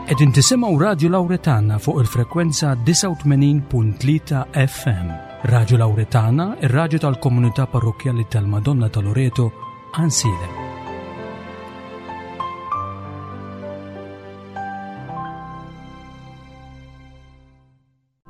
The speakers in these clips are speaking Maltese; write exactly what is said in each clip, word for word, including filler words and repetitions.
Qegħdin tisimgħu Radio Lauretana fuq il-frekwenza disgħa u tmenin punt tlieta F M. Radio Lauretana, ir-raġu tal-komunità parrokkjali tal-Madonna ta' Loreto, Għajnsielem.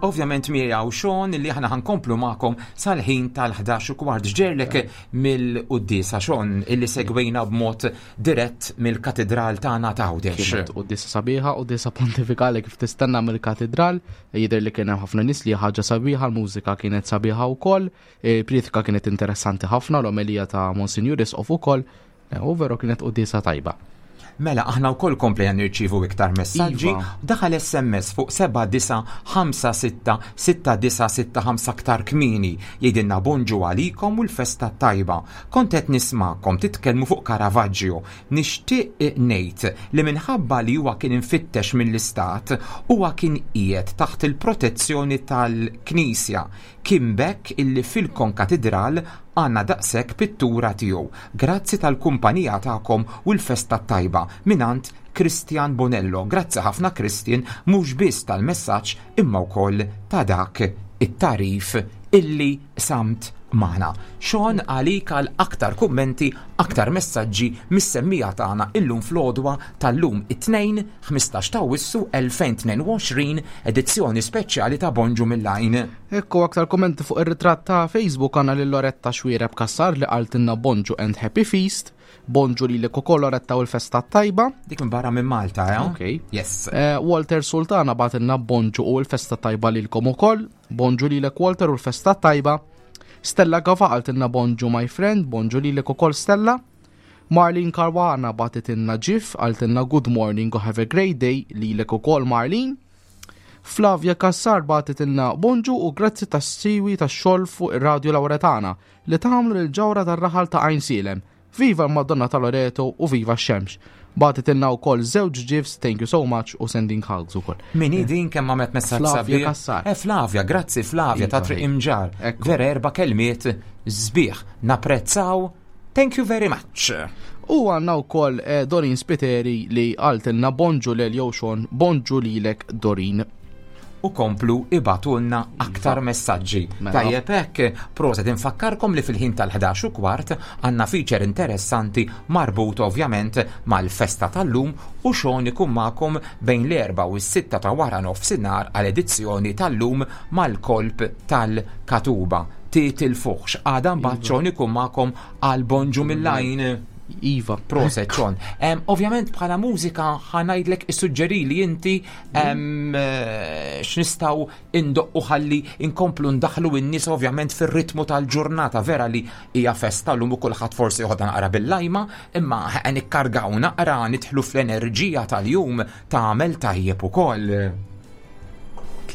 Ovvjament miegħu Sean li aħna ħa nkomplu magħkom sal-ħin tal-ħdax u kwart. Ġerlek mill-quddiesa, Sean, illi segwejna b'mod dirett mill-katedral tagħna ta' Għawdex. Kienet quddiesa sabiħa, quddiesa pontifikali kif tistenna mill-katedral, jidher li kien hemm ħafna nies, li ħaġa sabiħa, l-mużika kienet sabiħa wkoll, il-priedka kienet interessanti ħafna, l-omelija ta' Monsignor Isqof ukoll, u veru kienet quddiesa tajba. Mela, aħna wkoll komplejna nirċievu iktar messaġġi. Iva. Daħal S M S fuq seba' disa' ħamsa sitta sitta disa' sitta ħamsa aktar kmieni. Jgħidilna: "Bonġu għalikom u l-festa tajba. Kont qed nismakom titkellmu fuq Caravaggio. Nixtieq ngħid li minħabba li huwa kien infittex mill-istat, huwa kien qiegħed taħt il-protezzjoni tal-Knisja. Kien b'hekk illi fil-Konkatedral għandna daqshekk pittura tiegħu. Grazzi tal-kumpanija tagħkom u l-festa tajba mingħand Christian Bonello." Grazzi ħafna, Christian, mhux biss tal-messaġġ imma wkoll ta' dak it-tarif illi qsamt magħna. Sean, għalik għal aktar kummenti, aktar messaġġi mis-semmiegħa tagħna illum fl-għodwa tal-lum it-Tnejn ħmistax ta' Awwissu elfejn u tnejn u għoxrin, edizzjoni speċjali ta' Bonġu mill-Għajn. Ekku, aktar kommenti fuq ir-ritratt ta' Facebook għandna lil Loretta Xwiereb Kassar li qaltilna "Bonġu and Happy Feast". Bonġu lilek ukoll, Loretta, u l-festa tajba. Dik minn barra minn Malta, eh? Ok. Yes. Eh, Walter Sultana bagħtilna "Bonġu u l-festa tajba lilkom ukoll". Bonġu lilek, Walter, u l-festa tajba. Stella Gafa qaltilna "Bonġu, my friend", bonġu lilek ukoll, Stella. Marlene Caruana bagħtitilna GIF, qaltilna "Good morning u have a great day", lilek ukoll, Marlene. Flavia Kassar bagħtitilna "Bonġu u grazzi tas-siwi tax-xogħol fuq ir-Radio Lauretana li tagħmlu lil ġawra tar-raħal ta' Għajnsielem. Viva l-Madonna ta' Loreto u viva x-xemx." Bagħtitilna wkoll żewġ GIFs, thank you so much u sending hugs ukoll. Min hi din, kemm għamet messaġġ Flavia sabiħ? Kassar. Eh, Flavia, grazzi Flavia ta' Iva, Triq hi. Imġar. Ekku. Vera erba' kelmiet sbieħ. Napprezzaw. Thank you very much. U għandna wkoll eh, Dorin Spiteri li qaltilna "Bonġu lil Sean", bonġu lilek, Dorin. U komplu ibagħtulna aktar messaġġi. Mela. Tajjeb hekk, proset, infakkarkom li fil-ħin tal-ħdax u kwart għandna feature interessanti marbut ovvjament mal-festa tal-lum u Sean ikun magħkom bejn l-erba u s-sitta ta' wara nofsinhar għal edizzjoni tal-lum mal-kolp tal-Katuba. Titilfuħx, għada mbagħad Sean ikun magħkom għal Bonġu mill-Għajn. Iva. Proset, Sean. Um, ovvjament bħala mużika ħa ngħidlek, issuġġeri li inti um, x'nistgħu indoqqu ħalli inkomplu ndaħlu n-nies ovvjament fir-ritmu tal-ġurnata. Vera li hija festa llum u kulħadd forsi joħodha naqra bil-lajma, imma nikkargaw naqra, nidħlu fl-enerġija tal-jum, tagħmel tajjeb ukoll.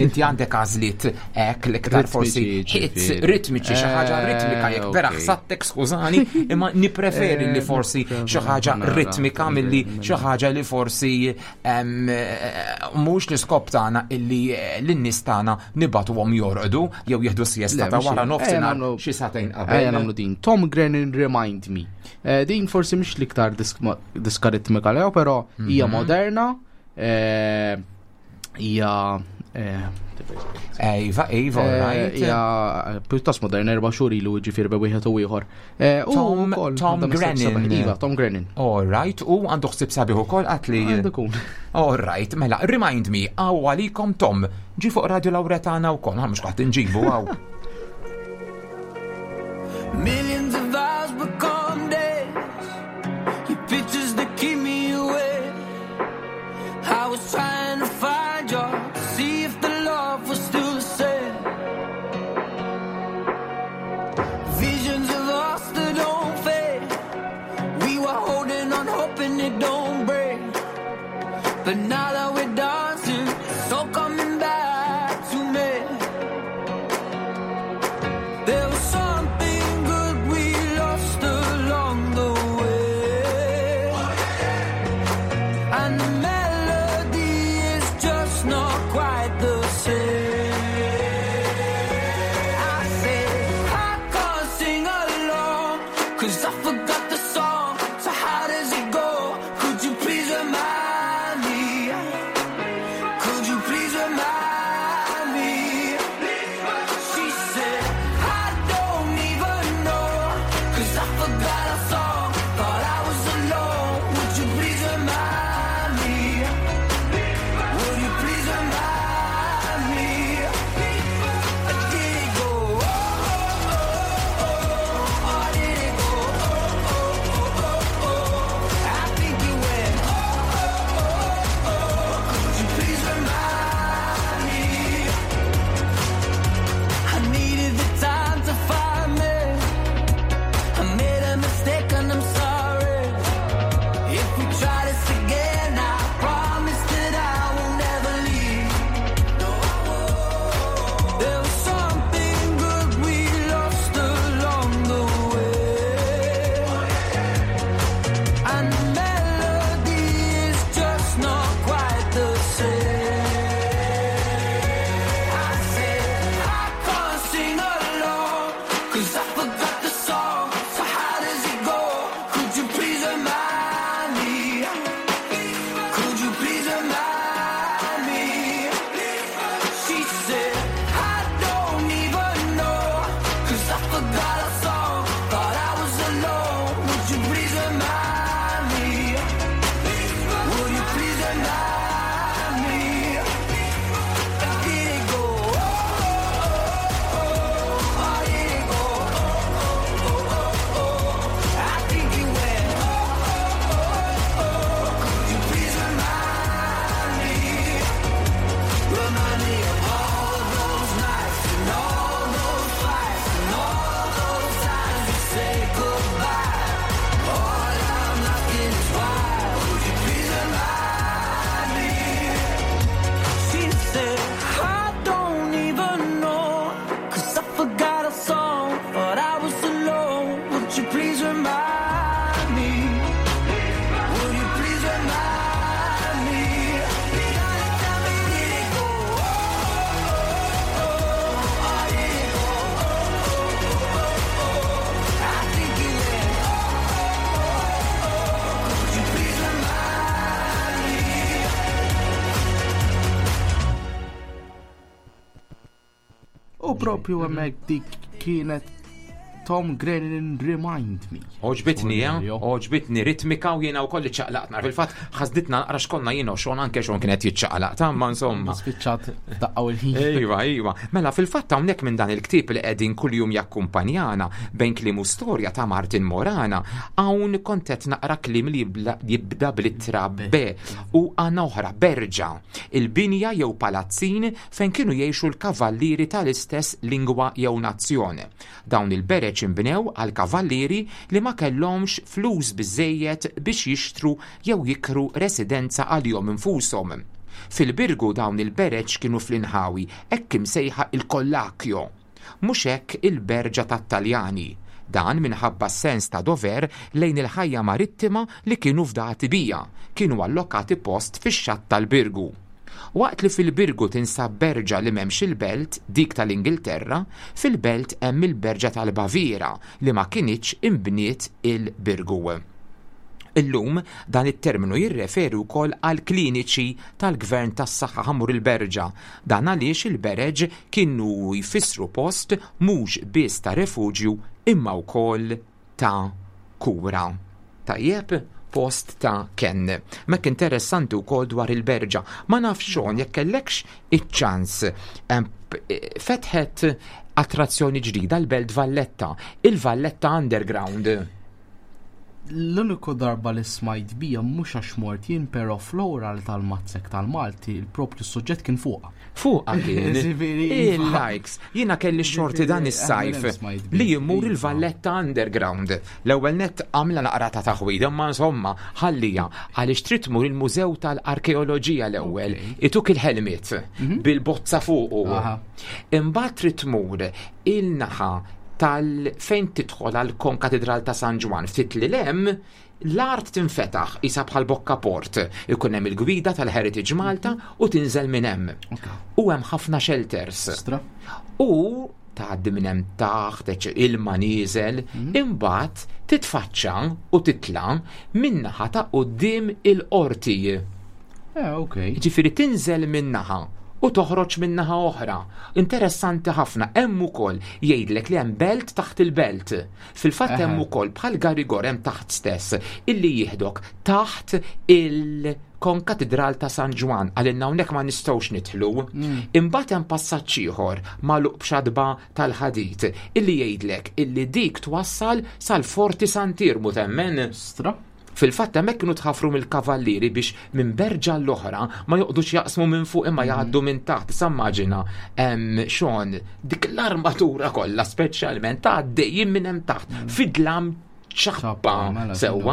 Inti għandek għażliet hekk l-iktar forsi Ritmiċi, hits ġifieri. ritmiċi, xi ħaġa Eh, ritmika, jekk vera ok. ħsattek, skużani, imma nipreferi li Eh, forsi xi ħaġa ritmika milli xi ħaġa li forsi em, eh, mhux l-iskop tagħna illi eh, lin-nies tagħna nibagħtuhom jorqdu jew jieħdu siesta Le, ta' mhux wara hekk. Ejja nofsinhar nagħmlu- xi sagħtejn Ejja qabel. nagħmlu din. Tom Grennan, "Remind Me". Eh, din forsi mhix l-iktar disk- diska ritmika lew, però hija Mhm. moderna, eh, hija eh, Ejva, ejva, eh, right. hija pjuttost moderna, erba' xhur ilu, ġifieri bejn wieħed u ieħor. Eh, u Tom- wkoll Tom għandha messaġġ Grennan. sabiħ. Iva, Tom Grennan. All right, u għandu ħsib sabiħ ukoll għatli. Għandu kun. All right, mela, "Remind Me", għaw għalikom Tom, ġi fuq Radio Lauretana u kon, mhux qatt nġibu għaw. Millions of hours become days. Your pictures that keep me awake. I was trying to find you to see if the love was still the same. Visions of us that don't fade. We were holding on, hoping it don't break. But now that we're dancing, it's all coming back to me. There was something good we lost along the way. And the melody is just not quite the same. I say, I can't sing along, 'cause I forgot the song. So how does it go? Could you please remind me? propju hemmhekk dik kienet Tom Grennan Remind Me. Għoġbitni, eh? Għoġbitni ritmika u jiena wkoll iċċaqlaqna. Fil-fatt ħasditna naqra x'konna jiena u Sean, anke Sean kienet jiċċaqlaq, ta' ma insomma. Spiċċat daqqaw il-ħin. Iva, iva. Mela fil-fatt hawnhekk minn dan il-ktieb li qegħdin kuljum jakkumpanjana bejn kliem u storja ta' Martin Morana, hawn kont qed naqra kliem li jibda bl-ittra B u għandna oħra berġa, il-binja jew palazzin fejn kienu jgħixu l-kavallieri tal-istess lingwa jew nazzjon. Dawn il-bereġ inbnew għal kavallieri li ma kellhomx flus biżejjed biex jixtru jew jikru residenza għalihom infushom. Fil-Birgu dawn il-bereġ kienu fl-inħawi hekk imsejħa il-Kollakjo, mhux hekk il-berġa tat-Taljani. Dan minħabba sens ta' dover lejn il-ħajja marittima li kienu fdati bija, kienu allokati post fix-xatt tal-Birgu. Waqt li fil-Birgu tinsab berġa li m'hemmx il-belt, dik tal-Ingilterra, fil-belt hemm il-berġa tal-Baviera li ma kinitx imbniet il-Birgu. Illum dan it-terminu jirreferi wkoll għal kliniċi tal-gvern tas-saħħa ħamur il-berġa. Dan għaliex il-bereġ kienu jfissru post mhux biss ta' refuġju imma wkoll ta' kura. Tajjeb, post ta' ken. Mek interessanti wkoll dwar il-berġa. Ma nafx Sean jekk kellekx iċ-ċans fetħet attrazzjoni ġdida l-Belt Valletta, il-Valletta Underground. L-uniku darba li smajt bija mhux għax mort jien, però fl-oral tal-Matsec tal-Malti il-propju suġġett kien fuqha. Fuqha kien. Il-likes. Jiena kelli xorti dan is-sajf li jimmur il-Valletta Underground. L-ewwel nett għamla naqra ta' taħwida, imma insomma ħallija għaliex trid tmur il-Mużew tal-Arkeoloġija l-ewwel, ituk il-helmet bil-bozza fuqu. Imbagħad trid tmur il-naħa tal fejn tidħol għal konkatedral ta' San Ġwann, ftit li lem l-art tinfetaħ isa bħal bokka port, ikun hemm il-gwida tal-Heritage Malta u tinżel minn hemm. U hemm ħafna shelters. U tgħaddi minn hemm taħt, ilma nieżel, imbagħad titfaċċa u titla' min-naħa ta' quddiem il-qorti. Ġifieri tinżel min-naħa u toħroġ min-naħa oħra. Interessanti ħafna, hemm ukoll jgħidlek li hemm belt taħt il-belt. Fil-fatt hemm ukoll bħal Garigor hemm taħt stess illi jieħdok taħt il-Konkatedral ta' San Ġwann, għalilna hawnhekk ma nistgħux nidħlu. Imbagħad hemm passaġġ ieħor magħluq b'xadba tal-ħadid illi jgħidlek illi dik twassal sal-Forti Sant'Irmu, temmen? Stra. Fil-fatt hemmhekk kienu tħafru mill-kavallieri biex minn berġa l-oħra ma joqgħodux jaqsmu minn fuq imma jgħaddu minn taħt. Issa immaġina Sean dik l-armatura kollha speċjalment għaddejjin minn hemm taħt fid-dlam ċappa sewwa.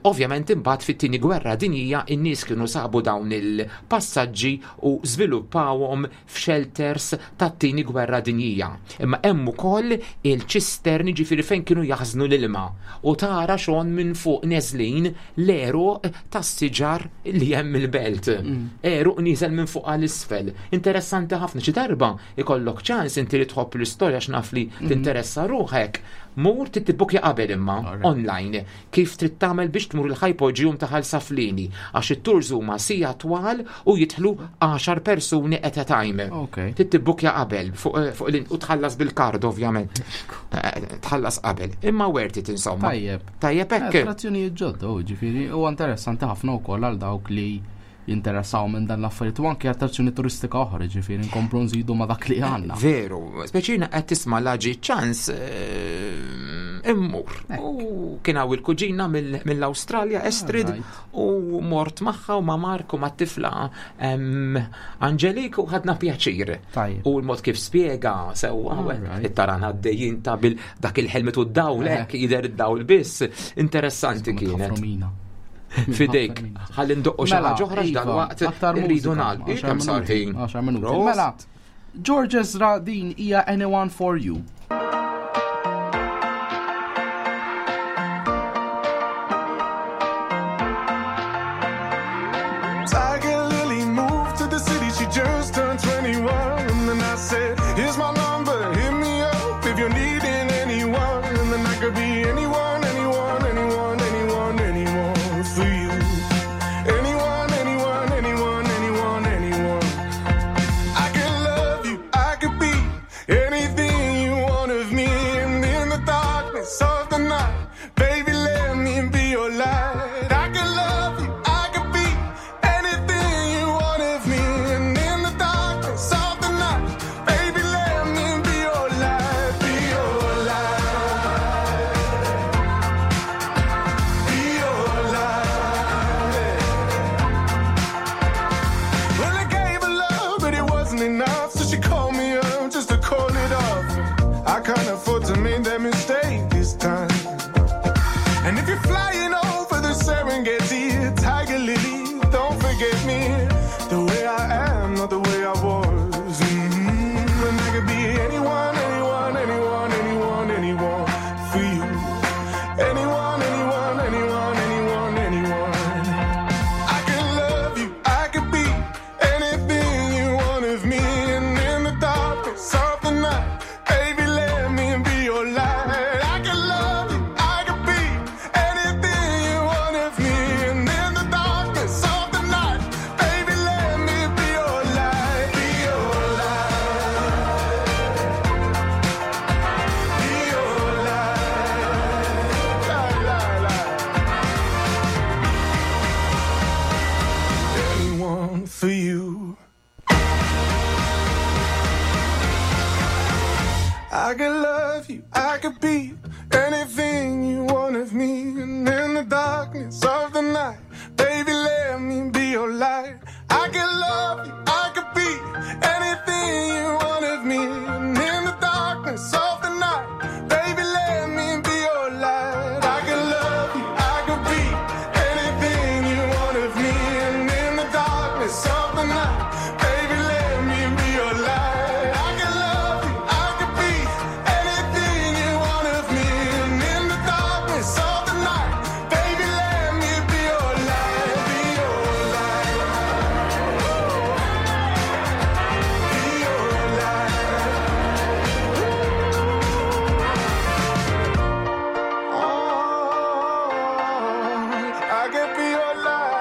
Ovvjament imbagħad fit-tieni gwerra dinjija in-nies kienu sabu dawn il-passaġġi u żviluppawhom f'shelters tat-tieni gwerra dinjija. Imma hemm ukoll il-ċisterni, ġifieri fejn kienu jaħżnu l-ilma u tara Sean minn fuq neżlin l-għeruq tas-siġar li hemm il-belt. Għeruq nieżel minn fuq għal isfel. Interessanti ħafna, xi darba ikollok ċans inti li tħobb l-istorja x'naf li tinteressa ruħek. Mur tittibukja qabel imma online kif trid tagħmel biex tmur il-ħajpoġium ta' Ħal Saflieni, għax it-tours huma sija twal u jidħlu għaxar persuni at a time. Tittibukja qabel fuq u tħallas bil-kard ovvjament. Tħallas qabel. Imma worth it insomma. Tajjeb. Tajjeb hekk. Attrazzjonijiet ġodda, ġifieri huwa interessanti ħafna wkoll għal dawk li jinteressaw minn dan l-affarijiet u anke attrazzjoni turistika oħra, ġifieri nkomplu nżidu ma' dak li għandna. Veru, speċina qed tisma' laġi ċans immur. U kien hawn il-kuġina mill-Awstralja, Estrid, u mort magħha u ma' Mark u mat-tifla Angelik u ħadna pjaċir. U l-mod kif spjega sewwa it-taran għaddejjin ta' bil dak il-helmet u d-dawl hekk jidher id-dawl biss. Interessanti kienet. Fidejk, ħalli ndoqqu xi ħaġa oħra x'dalwaqt irridu nagħlqu. Kemm sar ħin? Għaxar minuti. Mela, George Ezra din hija Anyone for You. Tiger Lily moved to the city, she just turned twenty-one. And then I said, here's my number, hit me up if you're needing anyone. And then I could be anyone, anyone, anyone, anyone, anyone for you. Anyone, anyone, anyone, anyone, anyone. I could love you, I could be And in the darkness of the night, baby, let me be your light. I can love you, I could be anything you want of me. And in the darkness of the night, baby, let me be your light. I can love you, I could be anything you want of me. And in the darkness of the night, baby, let me be your light. I can love you, I could be anything you want of me. And in the darkness of the night, baby, let me be your light, be your light. Be your light. Oh, I can be your light.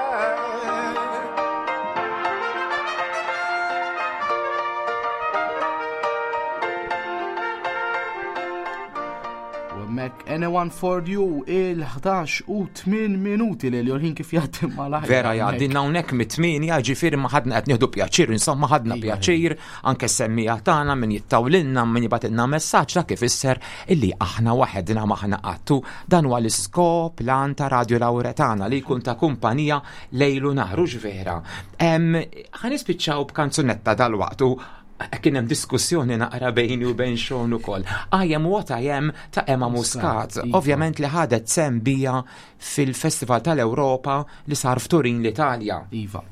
U hemmhekk Anyone for You il-ħdax u tmien minuti li l-ħin kif jgħaddi malajr. Vera jgħaddinna hawnhekk mit-tmienja, ġifieri ma ħadna qed nieħdu pjaċir, insomma ħadna Iva. pjaċir, anke semmiegħa tagħna min jittawlilna, min jibgħatilna messaġġ dak ifisser illi aħna waħedna m'aħna qattu. Dan huwa l-iskop lan ta' Radio Lauretana li jkun ta' kumpanija lejlu nhar, hux vera. Ħa nispiċċaw b'kanzunetta dal-waqt u kien hemm diskussjoni naqra bejni u bejn Sean ukoll. I Am What I Am ta' Emma Muscat. Iva. Ovvjament li ħadet sehem bija fil-Festival tal-Ewropa li sar f'Turin l-Italja. Iva.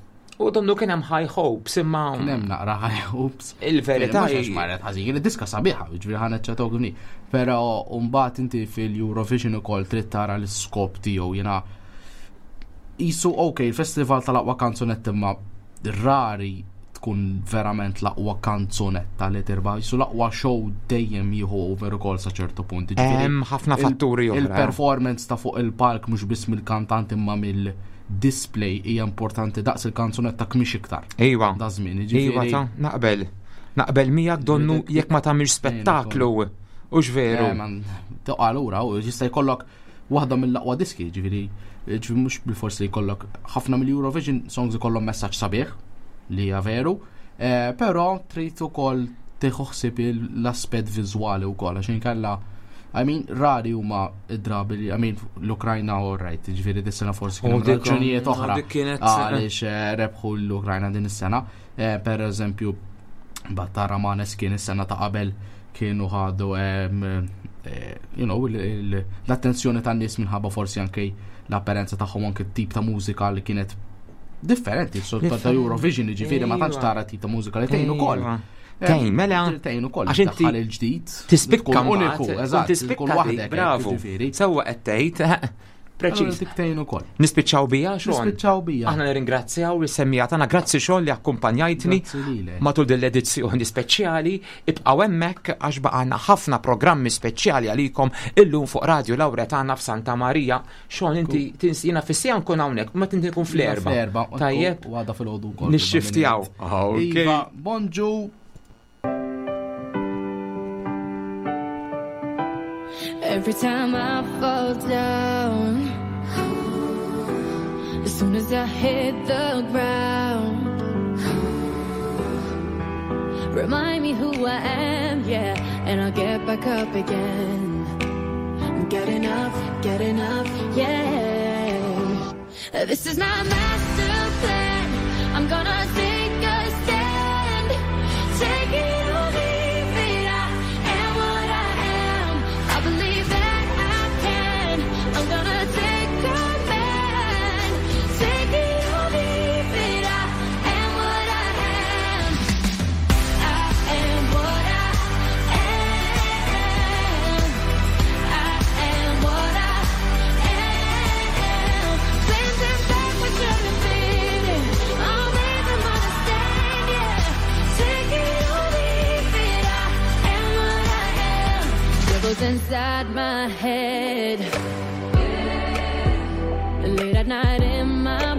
U donnu kien hemm high hopes imma Kien hemm naqra high hopes. Il-verità Mhux għax hi- marret ħażin, id-diska sabiħa, ġifieri ħa neċċetok għni. Però mbagħad inti fil-Eurovision ukoll trid tara l-iskop tiegħu jiena jisu ok, il-festival tal-aqwa kanzunetta imma rari tkun verament l-aqwa kanzunetta li tirbaħ, jisu l-aqwa show dejjem jieħu over ukoll sa ċertu punt. Ġifieri, Hemm ħafna il- fatturi oħra. Il-performance ta' fuq il-palk mhux biss mill-kantant imma mill-display hija importanti daqs il-kanzunetta kmix iktar. Iva. Da żmien, Iva jiġifieri. ta' naqbel. Naqbel miegħek donnu Dik- jekk ma tagħmilx spettaklu. Hux veru. Eh, man, Toqa' lura u jista' jkollok waħda mill-aqwa diski, ġifieri, ġifieri mhux bil-forsi li jkollok ħafna mill-Eurovision songs ikollhom messaġġ sabiħ li hija veru, eh, però trid ukoll tieħu ħsieb l-aspett viżwali wkoll għax inkella I mean, rari huma id-drabi li, I mean, l-Ukrajna all right, ġifieri dis-sena forsi kien U hemm dik- raġunijiet oħra dik kienet- għaliex eh, rebħu l-Ukrajna din is-sena. Eh, Per eżempju, Battara Maneskin is-sena ta' qabel kienu ħadu em, eh, you know, il- il- l-attenzjoni tan-nies minħabba forsi anke l-apparenza tagħhom anke t-tip ta' mużika li kienet differenti, so ta' ta' Eurovision, ġifieri ma tantx Iva. tara tip ta' mużika li tgħin ukoll. Iva. Tgħin, mela. Tgħin ukoll, Għax inti daħħal il-ġdid. Tispikka tkun uniku, mbagħad, eżatt, tispikka tkun dik, waħdek, bravo. ġifieri. Sewwa qed tgħid, Allura preċiż. dik tgħin ukoll. Nispiċċaw bija, Sean. Nispiċċaw bija. Aħna nirringrazzjaw is-semmiegħa tagħna. Grazzi Sean li akkumpanjajtni Grazzi lilek. matul din l-edizzjoni speċjali. Ibqgħu hemmhekk għax baqgħna ħafna programmi speċjali għalikom illum fuq Radio Lauretana f'Santa Maria. Sean inti tinsina fis-sija nkun hawnhekk, ma tinti nkun fl-erba. Fl-erba. Tajjeb. U għada fil-ħodu wkoll. Nixxiftjaw. Ok. Iva, bonġu. Every time I fall down, as soon as I hit the ground, remind me who I am, yeah, and I'll get back up again. I'm getting up, getting up, yeah. This is my master plan. I'm gonna take a stand. Take it or leave it. I am what I am. I believe that I can. I'm gonna take command. Take it or leave it. I am what I am. I am what I am. I am what I am. Plans and back, we shouldn't fit in. I'll make them understand, yeah. Take it or leave it. I am what I am. Devils inside my head. Late at night in my